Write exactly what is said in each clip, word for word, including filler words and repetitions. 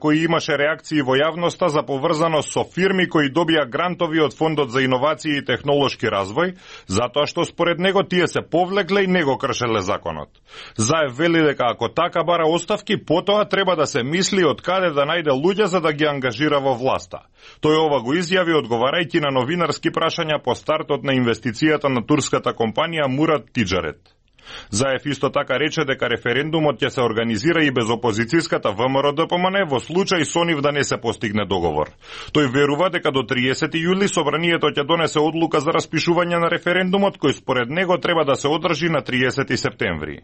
кои имаше реакции во јавноста за поврзаност со фирми кои добија грантови од Фондот за иновации и технолошки развој, затоа што според него тие се повлекле и не го кршеле законот. Заев вели дека ако така бара оставки, потоа треба да се мисли од каде да најде луѓе за да ги ангажира во власта. Тој ова го изјави одговарајќи на новинарски прашања по стартот на инвестицијата на турската компанија Мурат Тиджарет. Заев исто така рече дека референдумот ќе се организира и без опозицијската ВМРО-ДПМН во случај со нив да не се постигне договор. Тој верува дека до триесети јули собранието ќе донесе одлука за распишување на референдумот, кој според него треба да се одржи на триесети септември.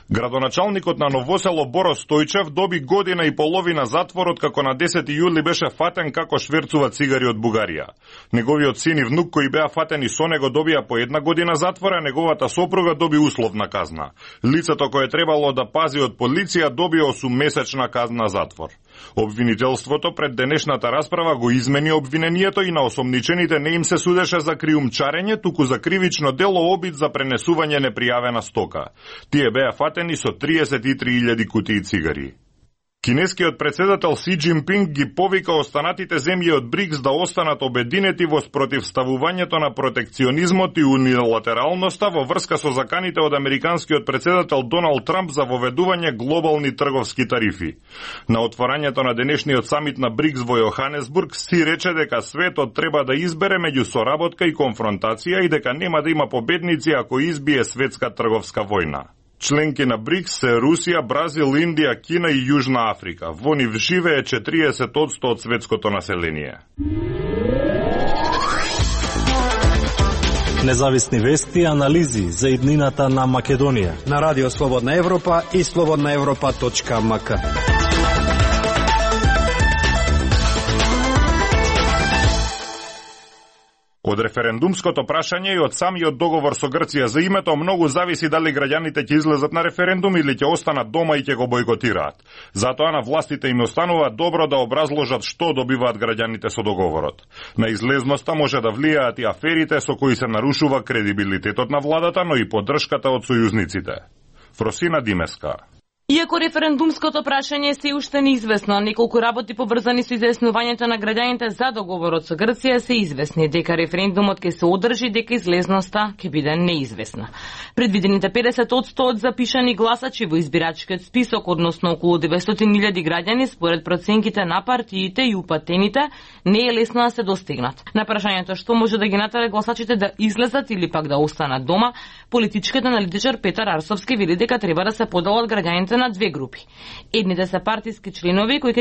Градоначалникот на Новосело Боро Стојчев доби година и половина затвор откако на десети јули беше фатен како шверцува цигари од Бугарија. Неговиот син и внук кои беа фатени со него добија по една година затвор, а неговата сопруга доби условна казна. Лицето кое требало да пази од полиција доби осуммесечна казна затвор. Обвинителството пред денешната расправа го измени обвинението и на осомничените не им се судеше за криумчарење, туку за кривично дело обид за пренесување непријавена стока. Тие беа фатени со триесет и три илјади кутии цигари. Кинескиот председател Си Џинпинг ги повика останатите земји од БРИКС да останат обединети во спротивставувањето на протекционизмот и унилатералноста во врска со заканите од американскиот председател Доналд Трамп за воведување глобални трговски тарифи. На отворањето на денешниот самит на БРИКС во Јоханесбург Си рече дека светот треба да избере меѓу соработка и конфронтација и дека нема да има победници ако избие светска трговска војна. Членки на БРИКС се Русија, Бразил, Индија, Кина и Јужна Африка. Во нив живее четириесет одсто од светското население. Независни вести и анализи за иднината на Македонија на Радио Слободна Европа и слободна европа точка ем ка. Од референдумското прашање и од самиот договор со Грција за името многу зависи дали граѓаните ќе излезат на референдум или ќе останат дома и ќе го бойкотираат. Затоа на властите им останува добро да образложат што добиваат граѓаните со договорот. На излезноста може да влијаат и аферите со кои се нарушува кредибилитетот на владата, но и поддршката од сојузниците. Фросина Димеска. Иако референдумското прашање е се уште неизвестно, неколку работи поврзани со изјаснувањето на граѓаните за договорот со Грција се известни, дека референдумот ќе се одржи, дека излезноста ќе биде неизвестна. Предвидените педесет одсто од запишани гласачи во избирачкиот список, односно околу деветстотини илјади граѓани, според проценките на партиите и упатените, не е лесно да се достигнат. На прашањето што може да ги натера гласачите да излезат или пак да останат дома, политичкиот аналитичар Петар Арсовски вели дека треба да се поделат граѓаните на две групи. Едните се партиски членови кои